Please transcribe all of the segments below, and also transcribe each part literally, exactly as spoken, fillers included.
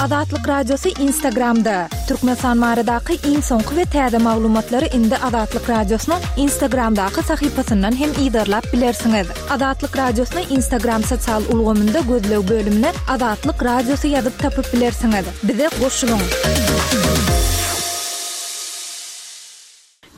Azatlyk Radiosy Instagramda. Türkmenistan baradaky iň soňky we täze maglumatlary indi Azatlyk Radiosynyň Instagramdaky sahypasyndan hem yzarlap bilersiňiz. Azatlyk Radiosyny Instagram sosial ulgamynda gözleg bölümine Azatlyk Radiosy ýazyp tapyp bilersiňiz. Bize goşulyň.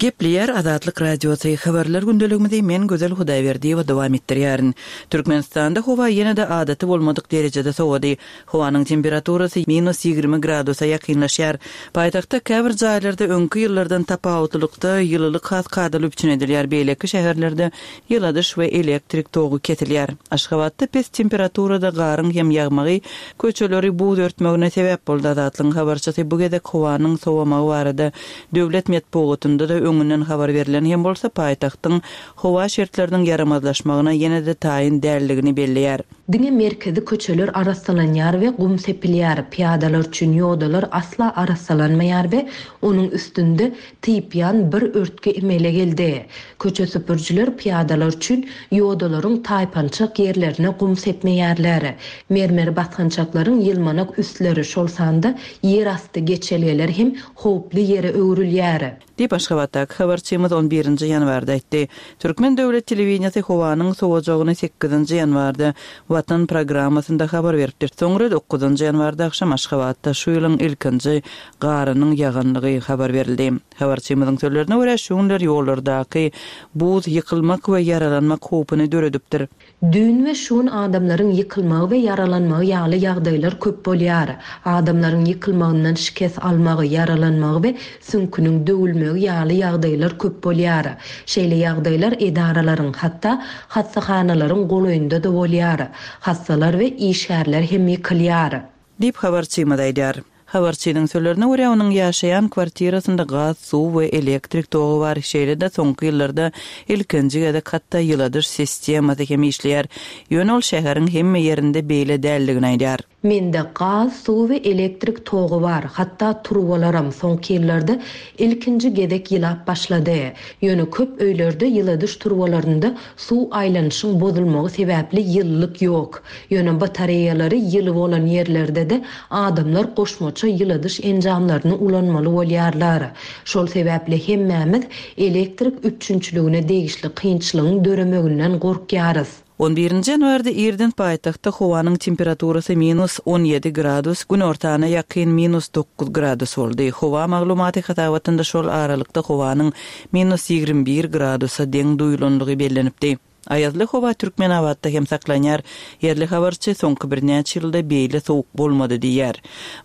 Gepleýär Azatlyk Radiosy habarlar gündeligimizi men Gözel Hudaýberdiýewa dowam etdirýärin. Türkmenistanda howa ýene-de adaty bolmadyk derejede sowady. Howanyň temperaturasy minus ýigrimi gradusa ýakynlaşýar. Paýtagtda käbir jaýlarda öňki ýyllardan tapawutlylykda ýylylyk has kadaly üpjün edilýär, beýleki şäherlerde ýyladyş we elektrik togy kesilýär. Aşgabatda pes temperaturada garyň hem ýagmagy köçeleri buz örtmegine sebäp boldy. Azatlygyň habarçysy bu gezek howanyň sowamagy barada döwlet metbugatynda-da öňünden habar berlen hem bolsa, paýtagtyň howa şertleriniň ýaramazlaşmagyna ýene-de taýyn däldigini belleýär. Diňe merkezi köçeler arassalanýar we gum sepilýär, pyýadalar üçin ýodalar asla arassalanmaýar we onuň üstünde typýan bir örtgi emele geldi. Köçe süpürjiler pyýadalar üçin ýodalaryň taýpançak ýerlerine gum sepmeýärler. Mermer basgançaklaryň ýylmanak üstleri, şol sanda ýerasty geçelgeler hem howply ýere öwrülýär. Diýip, Aşgabatdaky habarçymyz on birinji ýanwarda aýtdy. Türkmen döwlet telewideniýesi howanyň sowajagyny sekizinji ýanwarda Watan programmasynda habar beripdir. Soňra dokuzynjy ýanwarda agşam Aşgabatda şu ýylyň ilkinji garynyň ýaganlygy habar berildi. Habarçymyzyň sözlerine görä, şu günler ýollardaky buz ýykylmak we ýaralanmak howpuny döredipdir. Düýn we şu gün adamlaryň ýykylmagy we ýaralanmagy ýaly ýagdaýlar köp bolýar. Adamlaryň ýykylmagyndan şikes almagy, ýaralanmagy we süňküniň döwülmegi ýaly ýagdaýlar köp bolýar. Şeýle ýagdaýlar edaralaryň, hatda hassahanalaryň golaýynda-da bolýar. Hassalar we işgärler hem ýykylýar. Diýip habarçymyz aýdýar. Habarçynyň sözlerine görä, onuň ýaşaýan kwartirasynda gaz, suw we elektrik togy bar. Şeýle-de soňky ýyllarda ilkinji gezek hatda ýyladyş sistemasy hem işleýär. Ýöne ol şäheriň hemme ýerinde beýle däldigini aýdýar. Mende gaz, suw we elektrik togy bar. Hatda turbalaram soňky ýyllarda ilkinji gezek ýylap başlady. Ýöne köp öýlerde ýyladyş turbalarynda suw aýlanyşyň bozulmagy sebäpli ýylylyk ýok. Ýöne batareýalary ýyly bolan ýerlerde-de adamlar goşmaça ýyladyş enjamlaryny ulanmaly bolýarlar. Şol sebäpli hemmämiz elektrik üpjünçiligine degişli kynçylygyň döremeginden gorkýarys. On birinji ýanwarda irden paýtagtda howanyň temperaturasy minus on ýedi gradus, günortana ýakyn minus dokuz gradus boldy. Howa maglumaty hasabatynda şol aralykda howanyň minus ýigrimi bir gradusa deň duýulanlygy bellenipdi. Aýazly howa Türkmenabatda hem saklanýar. Ýerli habarçy soňky birnäçe ýylda beýle sowuk bolmady diýýär.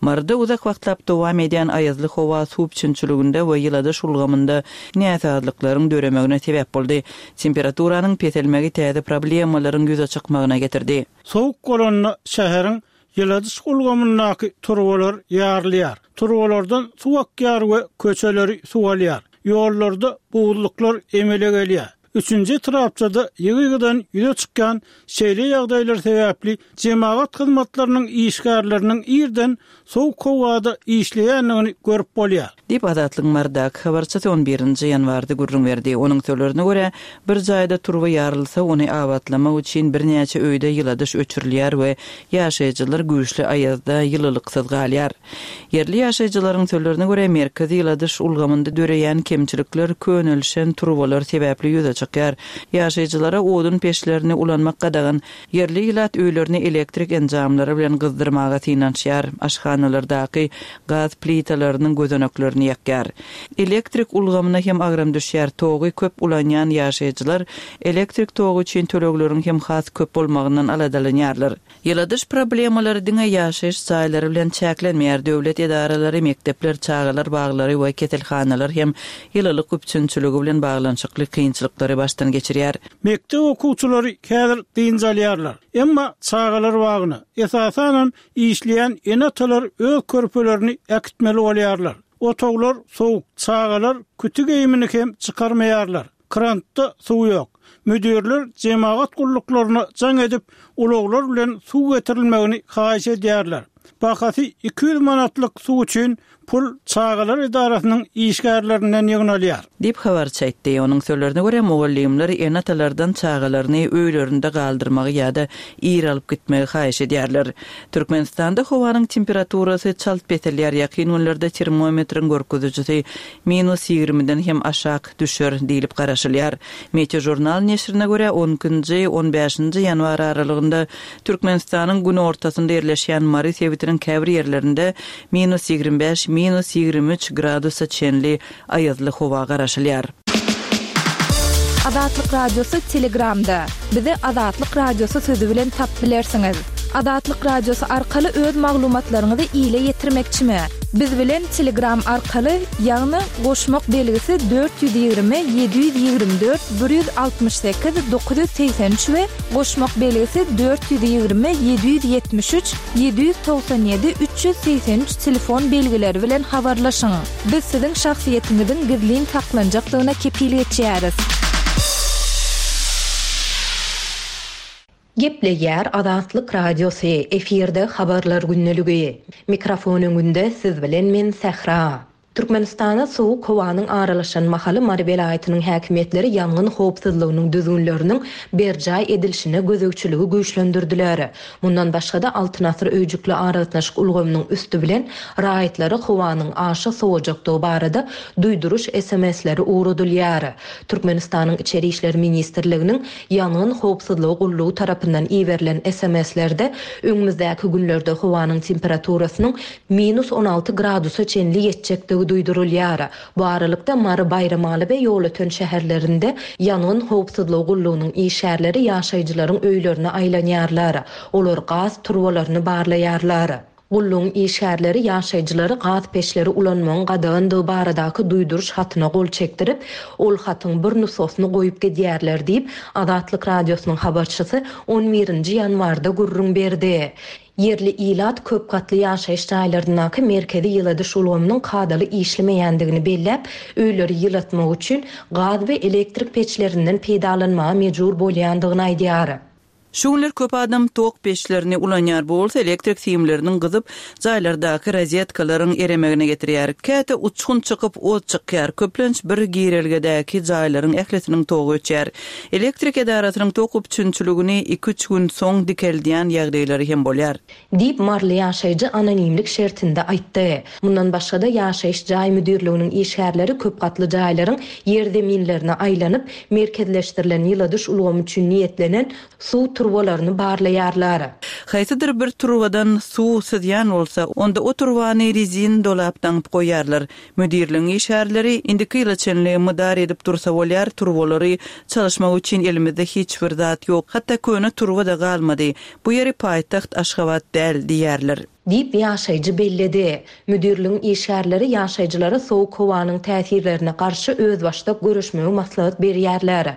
Maryda uzak wagtlap dowam edýän aýazly howa suw üpjünçiliginde we ýyladyş ulgamynda näsazlyklaryň döremegine sebäp boldy. Temperaturanyň peselmegi täze problemalaryň ýüze çykmagyna getirdi. Sowuk bolanda şäheriň ýyladyş ulgamyndaky turbalar ýarylýar. Turbalardan suw akýar we köçeleri suw alýar. Ýollarda buzluklar emele gelýär. Üçünji etrapçada ýygy-ýygydan ýüze çykýan şeýle ýagdaýlar sebäpli jemagat hyzmatlarynyň işgärleriniň irden sowuk howada işleýändigini görüp bolýar. Diýip Azatlygyň Marydaky habarçysy on birinji ýanwarda gürrüň berdi. Onuň sözlerine görä, bir jaýda turba ýarylsa, ony abatlamak üçin birnäçe öýde ýyladyş öçürilýär we ýaşaýjylar güýçli aýazda ýylylyksyz galýar. Ýerli ýaşaýjylaryň sözlerine görä, merkezi ýyladyş ulgamynda döreýän kemçilikler könelişen turbalar sebäpli ýüze çykýar. Ýaşaýjylara odun peçlerini ulanmak gadagan. Ýerli ilat öýlerini elektrik enjamlary bilen gyzdyrmaga synanyşýar. Aşhanalardaky gaz plitalarynyň gözeneklerini ýakýar. Elektrik ulgamyna hem agram düşýär. Togy köp ulanýan ýaşaýjylar elektrik togy üçin tölegleriň hem has köp bolmagyndan aladalanýarlar. Ýyladyş problemalary diňe ýaşaýyş jaýlary bilen çäklenmeýär. Döwlet edaralary, mekdepler, çagalar baglary we keselhanalar hem ýylylyk üpjünçiligi bilen baglanyşykly kynçylyklary başdan geçirýär. Mekdep okuwçylary häzir dynç alýarlar. Emma çagalar bagyna, esasanam işleýän ene-atalar öz körpelerini äkitmeli bolýarlar. Otaglar sowuk, çagalar küti geýimini hem çykarmaýarlar. Krantda suw ýok. Müdirler jemagat gulluklaryna jaň edip, ulaglar bilen suw getirilmegini haýyş edýärler. Bahasy iki ýüz manatlyk suw üçin pul çagalar edarasynyň işgärlerinden ýygnalýar. Diýip habarçy aýtdy. Onuň sözlerine görä, mugallymlar ene-atalardan çagalaryny öýlerinde galdyrmagy ýa-da ir alyp gitmegi haýyş edýärler. Türkmenistanda howanyň temperaturasy çalt peselýär. Ýakyn günlerde termometriň görkezijisi minus ýigrimiden hem aşak düşer diýlip garaşylýar. Meteožurnal neşirine görä, on ikinji, on bäşinji ýanwar aralygynda Türkmenistanyň günortasynda ýerleşýän Mary sebitiniň käbir ýerlerinde minus ýigrimi bäş, minus ýigrimi üç gradusa çenli aýazly howa garaşylýar. Azatlyk Radiosy Telegramda. Bizi Azatlyk Radiosy sözi bilen tap bilersiňiz. Azatlyk Radiosy arkaly öz maglumatlaryňyzy ile ýetirmekçimi? Biz bilen Telegram arkaly, ýagny goşmak belgisi dört ýüz ýigrimi, ýedi ýüz ýigrimi dört, bir ýüz altmyş sekiz, dokuz ýüz segsen üç we goşmak belgisi dört ýüz ýigrimi, ýedi ýüz ýetmiş üç, ýedi ýüz togsan ýedi, üç ýüz segsen üç telefon belgileri bilen habarlaşyň. Biz siziň şahsyýetiňiziň gizlin saklanjakdygyna kepil geçýäris. Gepleýär Azatlyk Radiosy, efirde habarlar gündeligi. Mikrofon öňünde siz bilen men Sähra. Türkmenistana soğuk howanyň aralaşan mahaly Mary welaýatynyň häkimiýetleri ýangyn howpsuzlygynyň düzgünleriniň berjaý edilişine gözegçiligi güýçlendirdiler. Mundan başga-da Altyn asyr öýjükli aragatnaşyk ulgamynyň üstü bilen raýatlara howanyň aşa sowajakdygy barada duýduryş S M S-leri ugradylýar. Türkmenistanyň Içeri İşler Ministrliginiň ýangyn howpsuzlygy gullugy tarapyndan iberilen S M S-lerde öňümizdäki günlerde howanyň temperaturasynyň minus on alty gradusa çenli ýetjekdigi duýdurylýar. Bu aralykda Mary Baýramaly we Ýolöten şäherlerinde ýangyn howpsuzlygy gullugynyň işgärleri ýaşaýjylaryň öýlerine aýlanýarlar. Olar gaz turbalaryny barlaýarlar. Gullugyň işgärleri ýaşaýjylary gaz peçleri ulanmagyň gadagandygy baradaky duýduryş hatyna gol çekdirip, ol hatyň bir nusgasyny goýup gidýärler diýip, Azatlyk Radiosynyň habarçysy on birinji ýanwarda gürrüň berdi. Ýerli ilat köp gatly ýaşaýyş jaýlaryndaky merkezi ýyladyş ulgamynyň kadaly işlemeýändigini belläp, öýleri ýylatmak üçin gaz we elektrik peçlerinden peýdalanmaga mejbur bolýandygyny aýdýar. Şu günler köp adam tok peçlerini ulanýar. Bu bolsa elektrik simleriniň gyzyp, jaýlardaky rozetkalaryň eremegine getirýär. Käte uçgun çykyp ot çykýar. Köplenç bir girelgedäki jaýlaryň ählisiniň togy öçýär. Elektrik edarasynyň tok üpjünçiligini iki üç gün soň dikeldýän ýagdaýlary hem bolýar. Diýip Marly ýaşaýjy anonimlik şertinde aýtdy. Mundan başga-da ýaşaýyş jaý müdirliginiň işgärleri köp gatly jaýlaryň ýer zeminlerine aýlanyp, merkezleşdirilen ýyladyş ulgamy üçin niýetlenen suw turbalaryny barlaýarlar. Haýsydyr bir turbadan suw syzýan bolsa, onda o turbany rezin dolap daňyp goýarlar. Müdirligiň işgärleri indiki ýyla çenli mydar edip dursa bolýar, turbalary çalyşmak üçin elimizde hiç bir zat ýok. Hatda köne turba da galmady. Bu ýeri paýtagt Aşgabat däl diýerler. Diýip ýaşaýjy belledi. Müdirligiň işgärleri ýaşaýjylara soğuk howanyň täsirlerine garşy özbaşdak görüşmegi maslahat berýärler.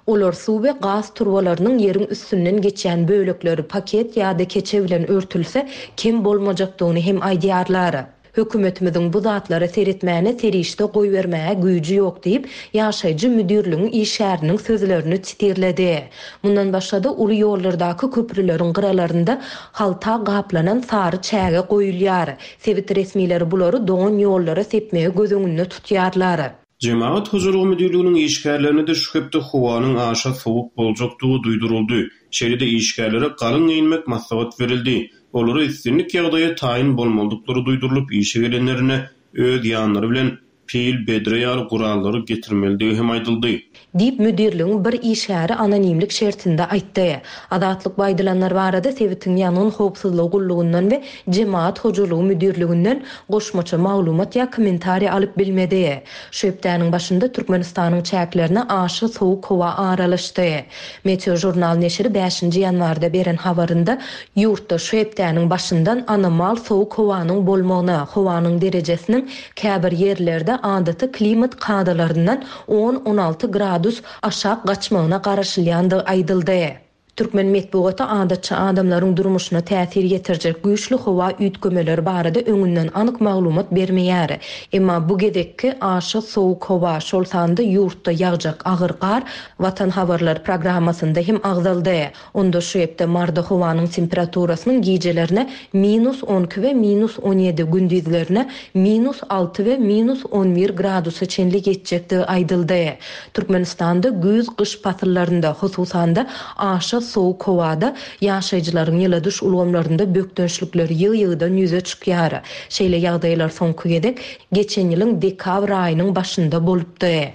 Olar suw we gaz turbalarynyň ýeriň üstünden geçýän bölekleri paket ýa-da keçe bilen örtülse kem bolmajakdygyny hem aýdýarlar. Hökümetimiziň bu zatlara seretmäne serişde goýbermäge güýji ýok diýip, ýaşaýjy müdirligiň işgäriniň sözlerini titirledi. Mundan başga-da uly ýollardaky köprüleriň gyralarynda halta gaplanan sary çäge goýulýar. Sebit resmileri bulary doňan ýollara sepmegi göz öňünde tutýarlar. Cemaat hojalygy müdirliginiň işgärlerine de şu hepde howanyň aşa soğuk boljakdygy duýduryldy. Şeýle-de işgärlere galyň geýinmek maslahat berildi. Olara üstünlik ýagdaýa taýyn bolmalydyklary duýdurylyp, işe gelenlerine öz ýanlary bilen pil, bedre ýaly gurallary getirmelidigi hem aýdyldy. Diýip müdirligiň bir işgäri anonimlik şertinde aýtdy. Azatlyk baýdylanlar barada sebitiň ýangyn howpsuzlygy gullugyndan we cemaat hojalygy müdirliginden goşmaça maglumat ýa kommentariýa alyp bilmedi. Şu hepdäniň başynda Türkmenistanyň çäklerine aşa soğuk howa aralaşdy. Meteožurnal neşiri bäşinji ýanwarda beren habarynda ýurtda şu hepdäniň başyndan anomal soğuk howanyň bolmagyna, howanyň derejesiniň käbir ýerlerde adaty klimat kadalaryndan on on alty gradus aşak gaçmagyna garaşylýandygy aýdyldy. Türkmen metbugaty adatça adamlaryň durmuşyna täsir ýetirjek güýçli howa üýtgemeleri barada öňünden anyk maglumat bermeýär. Emma bu gezekki aşa sowuk howa, şol sanda ýurtda ýagjak agyr gar Watan habarlar programmasynda hem agzaldy. Onda şu hepde Maryda howanyň temperaturasynyň gijelerine minus on iki we minus on ýedi, gündizlerine minus alty we minus on bir gradusa çenli ýetjekdigi aýdyldy. Türkmenistanda güýz gyş pasyllarynda, hususan-da aşa sowuk howada ýaşaýjylaryň ýyladyş ulgamlarynda bökdençlikler ýygy-ýygydan ýüze çykýar. Şeýle ýagdaýlar soňky gezek geçen ýylyň dekabr aýynyň başynda bolupdy.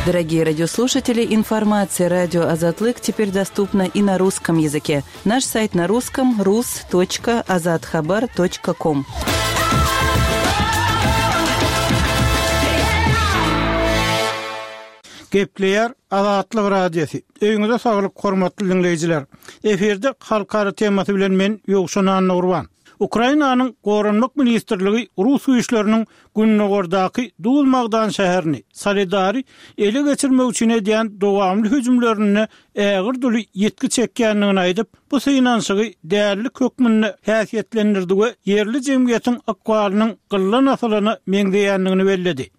Дорогие радиослушатели, информация радио Азатлык теперь доступна и на русском языке. Наш сайт на русском рус точка азатхабар точка ком. Gepleýär Azatlyk Radiosy. Öýüňize saglyk hormatly dinleýjiler. Efirde halkara temasy bilen men Ýowşan Annagurban. Ukrainanyň Goranmak ministrligi Rus güýçleriniň Günnogordaky Duz-Magdan şäherini Soledary ele geçirmek üçin edýän dowamly hüjümlerine ägir duly ýetki çekýändigini aýdyp, bu synanyşygy dällik hökmünde häsiýetlendirdi we ýerli jemgyýetiň ykbalynyň gyllan asylyna meňzeýändigini belledi.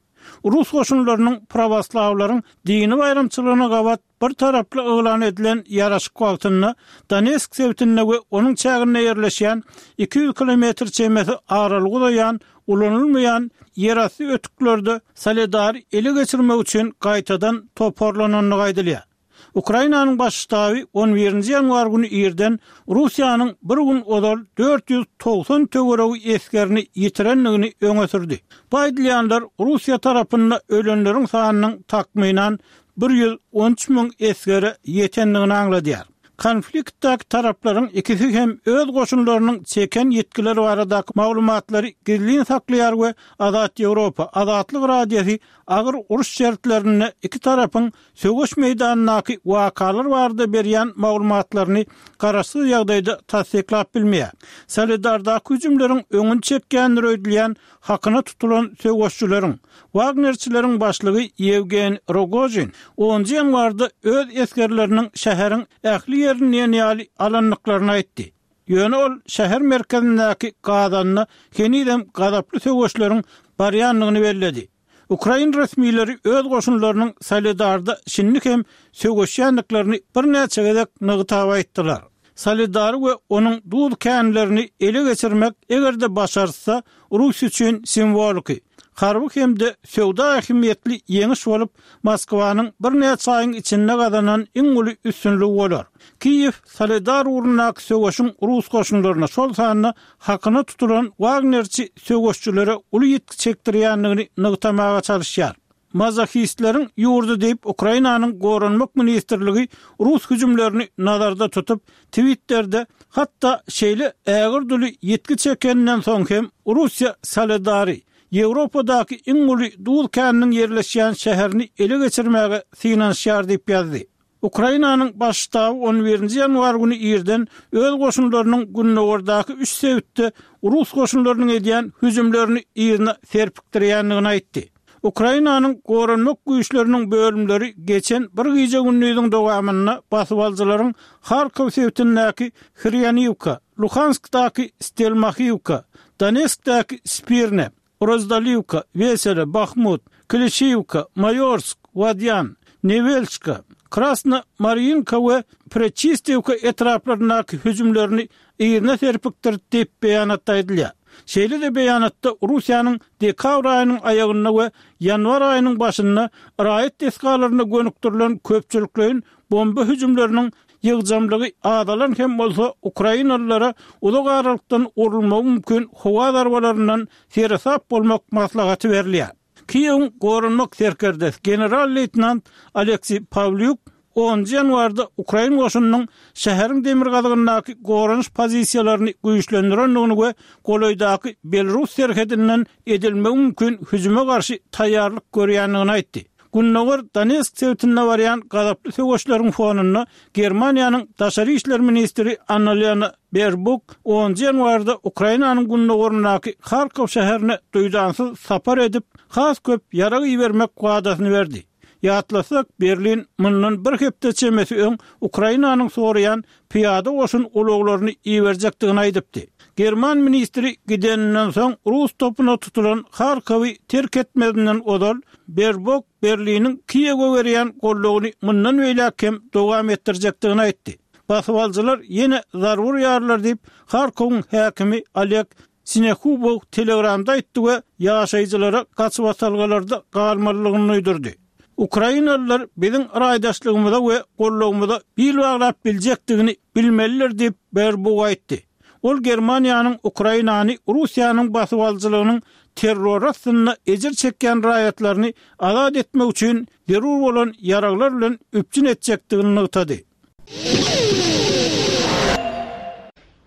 Rus goşunlarynyň pravoslawlaryň dini baýramçylygyna gabat bir taraply yglan edilen ýaraşyk wagtynda Donetsk sebitinde we onuň çäginde ýerleşýän iki ýüz kilometr çemesi aralygy uzaýan ulanylmaýan ýerasty ötüklerde Soledary ele geçirmek üçin gaýtadan toparlanandygy aýdylýar. Ukrainanyň baş ştaby on birinji ýanwar güni irden Russiýanyň bir gün ozal dört ýüz togsan töweregi esgerini ýitirendigini öňe sürdi. Bu aýdylýanlar Russiýa tarapynda ölenleriň sanynyň takmynan bir ýüz on üç müň esgere ýetendigini aňladýar. Konfliktdäki taraplaryň ikisi hem öz goşunlarynyň çeken ýetkileri baradaky maglumatlary gizlin saklaýar we Azat Ýewropa, Azatlyk Radiosy agyr uruş şertlerinde iki tarapyň söweş meýdanyndaky wakalar barada berýän maglumatlaryny garaşsyz ýagdaýda tassyklap bilmeýär. Soledardaky hüjümleriň öňüni çekýändir öýdülýän hakyna tutulan söweşçileriň, Wagnerçileriň başlygy Ýewgeniý Rogojin onunjy ýanwarda öz esgerleriniň şäheriň ähli ýerini diýen ýaly alandyklaryny aýtdy. Ýöne ol şäher merkezindäki gazanna henizem gazaply söweşleriň barýandygyny belledi. Ukrain resmileri öz goşunlarynyň Soledarda şindi hem söweşýändiklerini birnäçe gezek nygtap aýtdylar. Soledary we onuň duz känlerini ele geçirmek eger-de başarsa Rus üçin simwoliki, harby hem-de söwda ähmiýetli ýeňiş bolup, Moskwanyň birnäçe aýyň içinde gazanan iň uly üstünligi bolar. Kiýew Soledar ugrundaky söweşiň Rus goşunlaryna şol sanda hakyna tutulan Wagnerçi söweşçilere uly ýetki çekdirýändigini nygtamaga çalışýar. Mazohistleriň ýurdy diýip Ukrainanyň Goranmak ministrligi Rus hüjümlerini nazarda tutup, Twitter'de hatda şeýle ägir duly ýetki çekeninden soň hem Russiýa Soledary Ýewropadaky iň uly duz käniniň ýerleşýän şäherini ele geçirmäge synanyşýar diýip ýazdy. Ukrainanyň baş ştaby on birinji ýanwar güni irden öz goşunlarynyň Günnogordaky üç sebitde Rus goşunlarynyň edýän hüjümlerini yzyna serpikdirýändigini aýtdy. Ukrainanyň Goranmak güýçleriniň bölümleri geçen bir gije gündüziň dowamynda basybalyjylaryň Harkov sebitindäki Hryanivka, Luhanskdaky Stelmahiwka, Donetskdäki Spirne, Rozdalivka, Wesele, Bahmut, Klişivka, Mayorsk, Wadyan, Nevelçka, Krasna Marinka we Prečistivka etraplaryndaky hüjümlerini yzyna serpikdirdi diýip beýanatda aýdylýar. Şeýle-de beýanatda Russiýanyň dekabr aýynyň aýagynda we ýanwar aýynyň başynda raýat desgalaryna gönükdirilen köpçülikleýin bomba hüjümleriniň ýygjamlygy azalan hem bolsa Ukrainalylara uzak aralykdan urulmagy mümkin howa zarbalaryndan seresap bolmak maslahaty berilýär. Kiýewiň Goranmak serkerdesi general-leýtenant Aleksiý Pawlýuk onunjy ýanwarda Ukrain goşunynyň şäheriň demirgazygyndaky goranyş pozisiýalaryny güýçlendirendigini we golaýdaky Belarus serhedinden edilmegi mümkin hüjüme garşy taýýarlyk görýändigini aýtdy. Günnogor Donetsk sebitinde barýan gazaply söweşleriň fonunda Germaniýanyň daşary işler ministri Annalena Baerbock onunjy ýanwarda Ukrainanyň günnogorundaky Harkov şäherine duýdansyz sapar edip, has köp ýarag ibermek wadasyny berdi. Ýatlasak, Berlin mundan bir hepde çemesi öň Ukrainanyň soraýan pyýada goşun ulaglaryny iberjekdigini aýdypdy. German ministri gideninden soň rus topuna tutulan Harkowy terk etmezinden ozal Berbok Berliniň Kiýewe berýän goldawyny mundan beýläk hem dowam etdirjekdigini aýtdy. Basybalyjylar ýene zarba urýarlar diýip, Harkowyň häkimi Oleg Sinehubow Telegramda aýtdy we ýaşaýjylara gaçybatalgalarda galmalydygyny duýdurdy. Ukrainalylar biziň raýdaşlygymyza we goldawymyza bil baglap biljekdigini bilmelidir diýip, Berbok aýtdy. Ol Germaniýanyň Ukrainany Russiýanyň basybalyjylygynyň terror astynda ejir çekýän raýatlaryny azat etmek üçin zerur bolan ýaraglar bilen üpjün etjekdigini nygtady.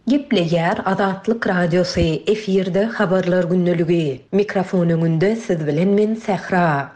Gepleýär Azatlyk Radiosy, efirde Habarlar gündeligi. Mikrofon öňünde siz bilen men Sähra.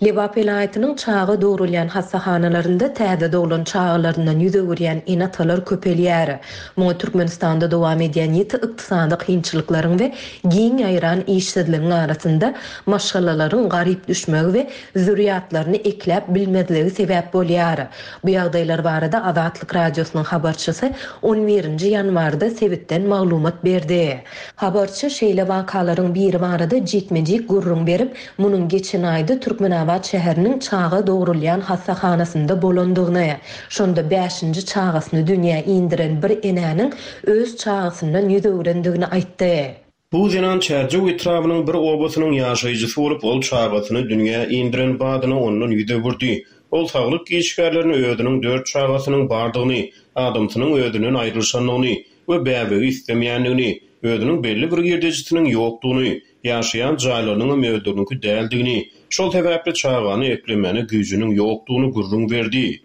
Lebap welaýatynyň çaga dogrulýan hassahanalarynda täze doglan çagalaryndan ýüz öwürýän ene-atalar köpelýär. Muňa Türkmenistanda dowam edýän ýiti ykdysady kynçylyklaryň we giň ýaýran işsizligiň arasynda maşgalalaryň garyp düşmegi we zürýatlaryny ekläp bilmezligi sebäp bolýar. Bu ýagdaýlar barada Azatlyk Radiosynyň habarçysy on birinji ýanwarda sebitden maglumat berdi. Habarçy şeýle wakalaryň biri barada jikme-jik gürrüň berip, munuň geçen aýda Türkmenabat şäheriniň çaga dogrulýan hassahanasynda bolandygyny, şonda bäşinji çagasyny dünýä indiren bir enäniň öz çagasyndan ýüz öwrendigini aýtdy. Bu zenan Çärjew etrabynyň bir obasynyň ýaşaýjysy bolup, ol çagasyny dünýä indiren badyna ondan ýüz öwürdi. Ol saglyk işgärlerini özüniň dört çagasynyň bardygyny, adamsynyň özünden aýrylyşandygyny we bäbegi islemeýändigini, özüniň belli bir girdejisiniň ýokdugyny, ýaşaýan jaýlarynyň özleriniňki däldigini, şol sebäpli çagany eklemäne güýjüniň ýokdugyny gürrüň berdi.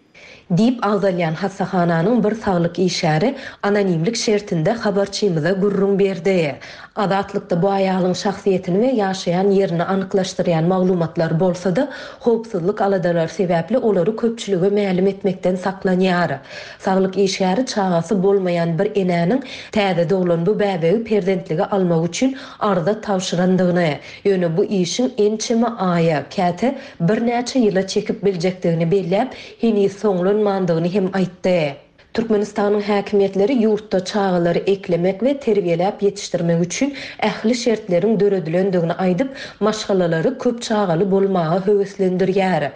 Diýip agzalýan hassahananyň bir saglyk işgäri anonimlik şertinde habarçymyza gürrüň berdi. Azatlykda bu aýalyň şahsyýetini we ýaşaýan ýerini anyklaşdyrýan maglumatlar bolsa-da, howpsuzlyk aladalary sebäpli olary köpçülige mälim etmekden saklanýar. Saglyk işgäri çagasy bolmaýan bir enäniň täze doglan bu bäbegi perzentlige almak üçin arza tabşyrandygyny, ýöne bu işiň ençeme aýa, käte birnäçe ýyla çekip biljekdigini belläp, heniz soňlanmandygyny hem aýtdy. Türkmenistanyň häkimiýetleri ýurtda çagalary eklemek we terbiýeläp ýetişdirmek üçin ähli şertleriň döredilendigini aýdyp, maşgalalary köp çagaly bolmaga höweslendirýär.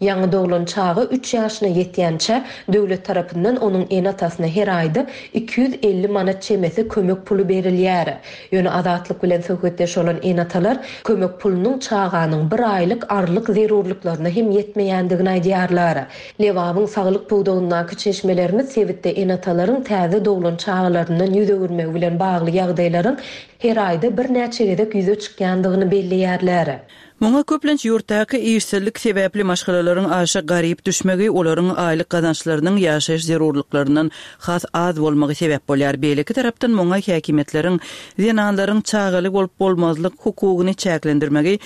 Ýaňy doglan çaga üç ýaşyna ýetýänçä döwlet tarapyndan onuň ene-atasyna her aýda iki ýüz elli manat çemesi kömek puly berilýär. Ýöne Azatlyk bilen söhbetdeş bolan ene-atalar kömek pulunyň çaganyň bir aýlyk arlyk zerurlyklaryna hem ýetmeýändigini aýdýarlar. Lebabyň saglyk pudagyndaky çeşmelerimiz sebitde ene-atalaryň täze doglan çagalaryndan ýüz öwürmegi bilen bagly ýagdaýlaryň her aýda birnäçe gezek ýüze çykýandygyny belleýärler. Muňa köplenç ýurtdaky işsizlik sebäpli maşgalalaryň aşa garyp düşmegi, olaryň aýlyk gazançlarynyň ýaşaýyş zerurlyklaryndan has az bolmagy sebäp bolýar. Beýleki tarapdan muňa häkimiýetleriň zenanlaryň çagaly bolup bolmazlyk hukugyny çäklendirmegi,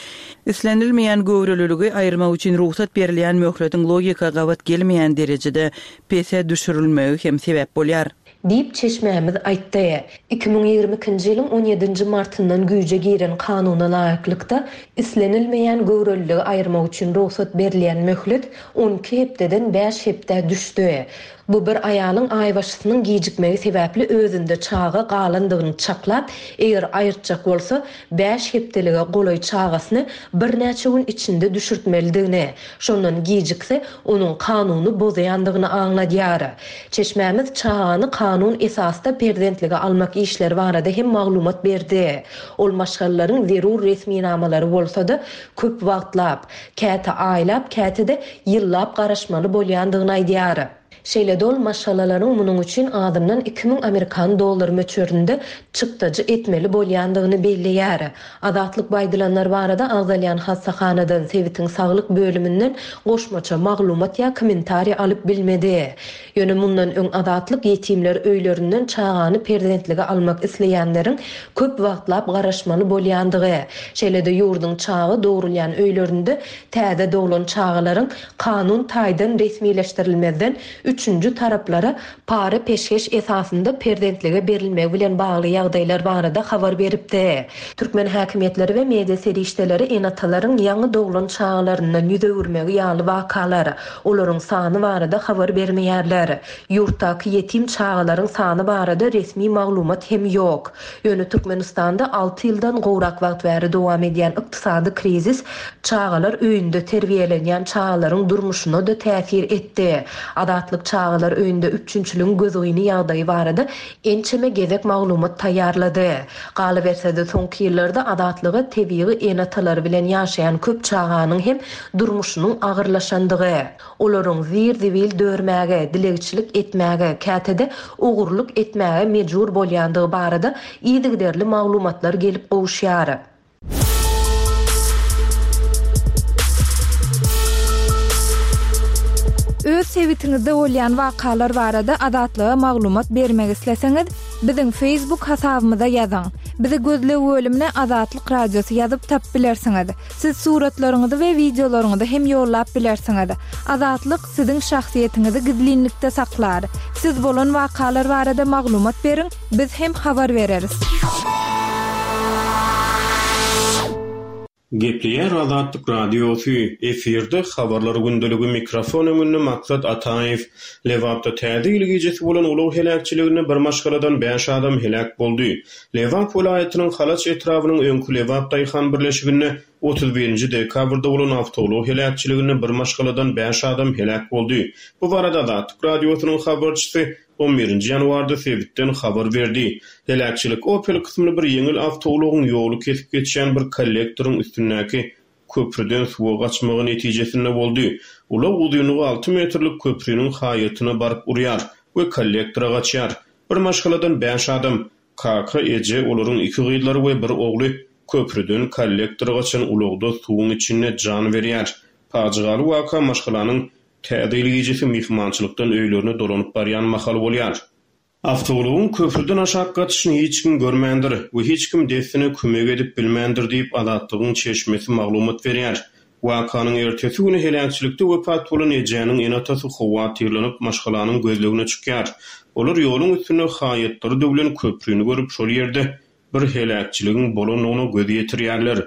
islenilmeýän göwreliligi aýyrmak üçin rugsat berilýän möhletiň logika gabat gelmeýän derejede pese düşürilmegi hem sebäp bolýar. Diýip çeşmämiz aýtdy. Iki müň ýigrimi ikinji ýylyň on ýedinji martyndan güýje giren kanuna laýyklykda islenilmeýän göwreliligi aýyrmak üçin rugsat berilýän möhlet on iki hepdeden bäş hepdä düşdi. Bu bir aýalyň aýbaşysynyň gijikmegi sebäpli özünde çaga galandygyny çaklap, eger aýyrtjak bolsa bäş hepdelige golaý çagasyny birnäçe gün içinde düşürtmelidigini, şondan gijikse onuň kanuny bozaýandygyny aňladýar. Çeşmämiz çagany kanun esasda perzentlige almak işleri barada hem maglumat berdi. Ol maşgalalaryň zerur resminamalary bolsa-da köp wagtlap, käte aýlap, käte-de ýyllap garaşmaly bolýandygyny aýdýar. Şeýle dol maşgalalaryň munuň üçin azyndan iki müň amerikan dollar möçberinde çykdajy etmeli bolýandygyny belleýär. Azatlyk baýdylanlar barada agzalýan hassahanadan sebitiň saglyk bölüminden goşmaça maglumat ýa kommentariýa alyp bilmedi. Ýöne mundan öň Azatlyk ýetimler öýlerinden çagany perzentlige almak isleýänleriň köp wagtlap garaşmaly bolýandygy, şeýle-de ýurduň çaga dogrulýan öýlerinde täze doglan çagalaryň kanun taýdan resmileşdirilmezden üçünji taraplara para-peşgeş esasynda perzentlige berilmegi bilen bagly ýagdaýlar barada habar beripdi. Türkmen häkimiýetleri we media serişdeleri ene-atalaryň ýaňy doglan çagalaryndan ýüz öwürmegi ýaly wakalar, olaryň sany barada habar bermeýärler. Ýurtdaky ýetim çagalaryň sany barada resmi maglumat hem ýok. Ýöne Türkmenistanda alty ýyldan gowrak wagt bäri dowam edýän ykdysady krizis çagalar öýünde terbiýelenýän çagalaryň durmuşyna-da täsir etdi. Azatlyk çagalar öýünde üpjünçiligiň gözgyny ýagdaýy barada ençeme gezek maglumat taýýarlady. Galyberse-de, soňky ýyllarda Azatlyga tebigy ene-atalary bilen ýaşaýan köp çaganyň hem durmuşynyň agyrlaşandygy, olaryň zir-zibil dörmäge, dilegçilik etmäge, käte-de ogurlyk etmäge mejbur bolýandygy barada yzygiderli maglumatlar gelip gowuşýar. Öz sebitiňizde bolýan wakalar barada Azatlyga maglumat bermek isleseňiz, biziň Facebook hasabymyza ýazyň. Bizi gözleg bölümine Azatlyk Radiosy ýazyp tapyp bilersiňiz. Siz suratlaryňyzy we wideolaryňyzy hem ýollap bilersiňiz. Azatlyk siziň şahsyýetiňizi gizlinlikde saklar. Siz bolan wakalar barada maglumat beriň, biz hem habar bereris. Gepleýär Azatlyk Radiosy, efirde Habarlar gündeligi, mikrofon öňünde Maksat Ataýew. Lebapda Täze ýyl gijesi bolan ulag heläkçiliginde bir maşgaladan bäş adam heläk boldy. Lebap welaýatynyň Halaç etrabynyň öňki Lebap daýhan birleşiginde otuz birinji dekabrda bolan awtoulag heläkçiliginde bir maşgaladan bäş adam heläk boldy. Bu barada Azatlyk Radiosynyň habarçysy on birinji ýanwarda sebitden habar berdi. Heläkçilik Opel kysymly bir ýeňil awtoulagyň ýoly kesip geçýän bir kollektoryň üstündäki köprüden suwa gaçmagy netijesinde boldy. Ulag uzynlygy alty metrlik köprüniň haýatyna baryp urýar we kollektora gaçýar. Bir maşgaladan bäş adam, kaka, eje, olaryň iki gyzlary we bir ogly köprüden kollektora gaçan ulagda suwuň içinde jan berýär. Pajygaly waka maşgalanyň Täze ýyl gijesi myhmançylykdan öýlerine dolanyp barýan mahaly bolýar. Awtoulagyň köprüden aşak gaçyşyny hiç kim görmändir we hiç kim dessine kömek edip bilmändir diýip, Azatlygyň çeşmesi maglumat berýär. Wakanyň ertesi güni heläkçilikde wepat bolan ejäniň ene-atasy howatyrlanyp, maşgalanyň gözlegine çykýar. Olar ýoluň üstünde haýatlary döwlen köprüni görüp, şol ýerde bir heläkçiligiň bolandygyna göz ýetirýärler.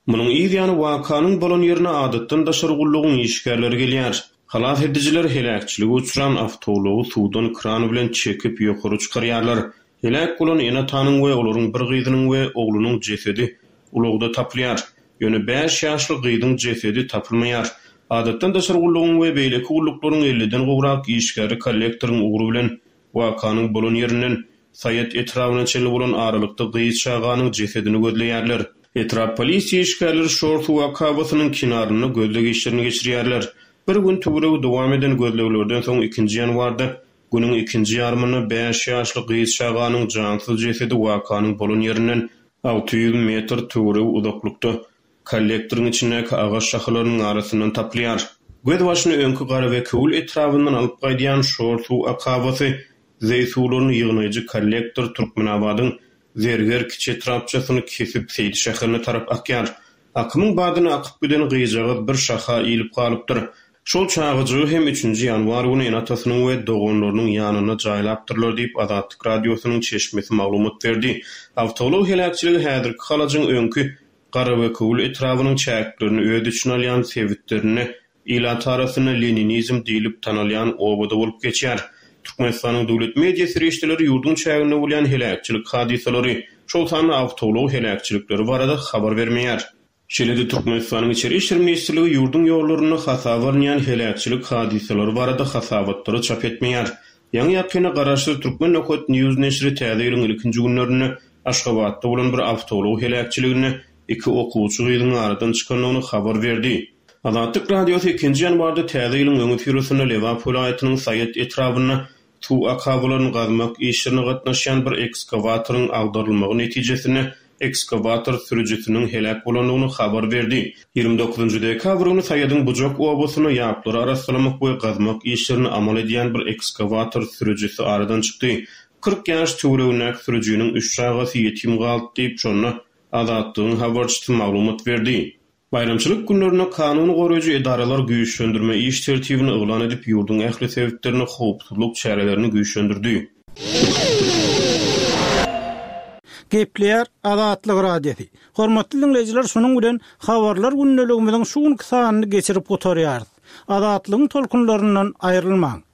Munuň yz ýany wakanyň bolan ýerine adatdan daşary gullugyň işgärleri gelýär. Halas edijiler heläkçilige uçran awtoulagy suwdan kran bilen çekip ýokary çykarýarlar. Heläk bolan ene-atanyň we olaryň bir gyzynyň we oglunyň jesedi ulagda tapylýar. Ýöne bäş ýaşly gyzyň jesedi tapylmaýar. Adatdan daşary gullugyň we beýleki gulluklaryň elliden gowrak işgäri kollektoryň ugry bilen wakanyň bolan ýerinden Saýat etrabyna çenli bolan aralykda gyz çaganyň jesedini gözleýärler. Etrap polisiýa işgärleri şor suw akabasynyň kenarynda gözleg işlerini geçirýärler. Bir gün töweregi dowam eden gözleglerden soň ikinji ýanwarda günüň ikinji ýarymynda bäş ýaşly gyz çaganyň jansyz jesedi wakanyň bolan ýerinden alty ýüz metr töweregi uzaklykda kollektoryň içindäki agaç şahalarynyň arasyndan tapylýar. Gözbaşyny öňki Garabekewül etrabyndan alyp gaýdýan şor suw akabasy zeý suwlaryny ýygnaýjy kollektor Türkmenabadyň Zerger kiçi etrapçasyny kesip Seýdi şäherine tarap akýar. Akymyň badyna akyp giden gyzjagaz bir şaha iýlip galypdyr. Şol çagajygy hem üçünji ýanwar güni ene-atasynyň we doganlarynyň ýanynda jaýlapdyrlar diýip, Azatlyk Radiosynyň çeşmesi maglumat berdi. Awtoulag heläkçiligi häzirki Halajyň öňki Garabekewül etrabynyň çäklerini öz içine alýan sebitlerinde ilat arasynda leninizm diýlip tanalýan obada bolup geçýär. Türkmenistanyň döwlet media serişdeleri ýurduň çäginde bolýan heläkçilik hadysalary, şol sanda awtoulag heläkçilikleri barada habar bermeýär. Şeýle-de Türkmenistanyň Içeri işler ministrligi ýurduň ýollarynda hasaba alynýan heläkçilik hadysalary barada hasabatlary çap etmeýär. Ýaňy-ýakynda garaşsyz Türkmen Nokat News neşiri täze ýylyň ilkinji günlerinde Aşgabatda bolan bir awtoulag heläkçiliginde iki okuwçy gyzyň aradan çykandygyny habar berdi. Azatlyk Radiosy ikinji ýanwarda täze ýylyň öňüsyrasynda Lebap welaýatynyň Saýat etrabynda suw akabalaryny gazmak işlerine gatnaşýan bir ekskawatoryň agdarylmagy netijesinde ekskawator sürüjisiniň heläk bolandygyny habar berdi. Ýigrimi dokuzynjy dekabr güni Saýadyň Bujak obasynda ýaplary arassalamak we gazmak işlerini amal edýän bir ekskawator sürüjisi aradan çykdy. Kyrk ýaş töweregindäki sürüjiniň üç çagasy ýetim galdy diýip, şonda Azatlygyň habarçysy maglumat berdi. Baýramçylyk günlerinde kanun goraýjy edaralar güýçlendirme iş tertibini yglan edip, ýurduň ähli sebitlerinde howpsuzlyk çärelerini güýçlendirdi. Gepleýär Azatlyk Radiosy. Hormatly diňleýjiler, şunuň bilen Habarlar gündeligimiziň şu günki sanyny geçirip gutarýarys. Azatlygyň tolkunlaryndan aýrylmaň!